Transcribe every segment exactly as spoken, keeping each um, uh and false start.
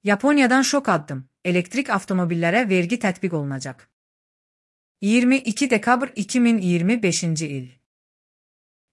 Yaponiyadan şok addım. Elektrik avtomobillere vergi tətbiq olunacaq. iyirmi iki dekabr iki min iyirmi beşinci il.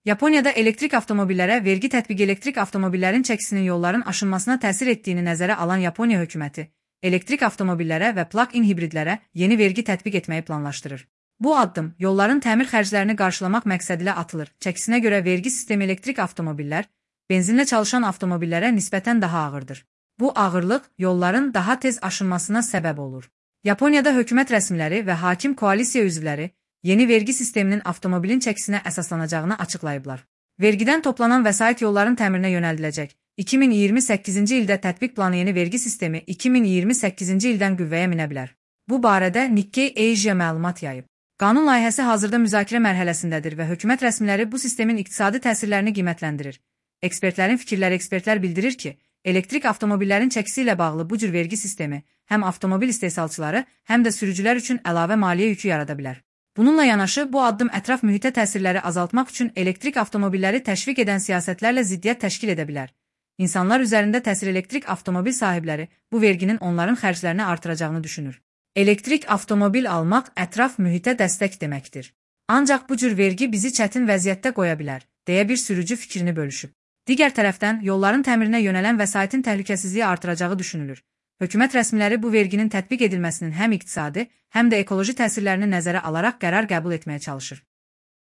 Yaponiyada elektrik avtomobillərə vergi tətbiqi elektrik avtomobillərin çəkisinin yolların aşınmasına təsir etdiyini nəzərə alan Yaponiya hökuməti, elektrik avtomobillərə və plug-in hibridlərə yeni vergi tətbiq etməyi planlaşdırır. Bu addım yolların təmir xərclərini qarşılamaq məqsədilə atılır. Çəkisinə görə vergi sistemi elektrik avtomobillər, benzinlə çalışan avtomobillərə nisbətən daha ağırdır. Bu ağırlıq yolların daha tez aşınmasına səbəb olur. Yaponiyada hökumət rəsmiləri və hakim koalisiya üzvləri yeni vergi sisteminin avtomobilin çəkisinə əsaslanacağını açıqlayıblar. Vergidən toplanan vəsait yolların təmirinə yönəldiləcək. iki min iyirmi səkkizinci ildə tətbiq planı yeni vergi sistemi iki min iyirmi səkkizinci ildən qüvvəyə minə bilər. Bu barədə Nikkei Asia məlumat yayıb. Qanun layihəsi hazırda müzakirə mərhələsindədir və hökumət rəsmiləri bu sistemin iqtisadi təsirlərini qiymətləndirir. Ekspertlərin fikirləri ekspertlər bildirir ki, elektrik avtomobillərin çəkisi ilə bağlı bu cür vergi sistemi həm avtomobil istehsalçıları, həm də sürücülər üçün əlavə maliyyə yükü yarada bilər. Bununla yanaşı, bu addım ətraf mühitə təsirləri azaltmaq üçün elektrik avtomobilləri təşviq edən siyasətlərlə ziddiyyət təşkil edə bilər. İnsanlar üzərində təsir elektrik avtomobil sahibləri bu verginin onların xərclərini artıracağını düşünür. Elektrik avtomobil almaq ətraf mühitə dəstək deməkdir. Ancaq bu cür vergi bizi çətin vəziyyətdə qoya bilər, deyə bir sürücü fikrini bölüşüb. Digər tərəfdən, yolların təmirinə yönələn vəsaitin təhlükəsizliyi artıracağı düşünülür. Hökumət rəsmiləri bu verginin tətbiq edilməsinin həm iqtisadi, həm də ekoloji təsirlərini nəzərə alaraq qərar qəbul etməyə çalışır.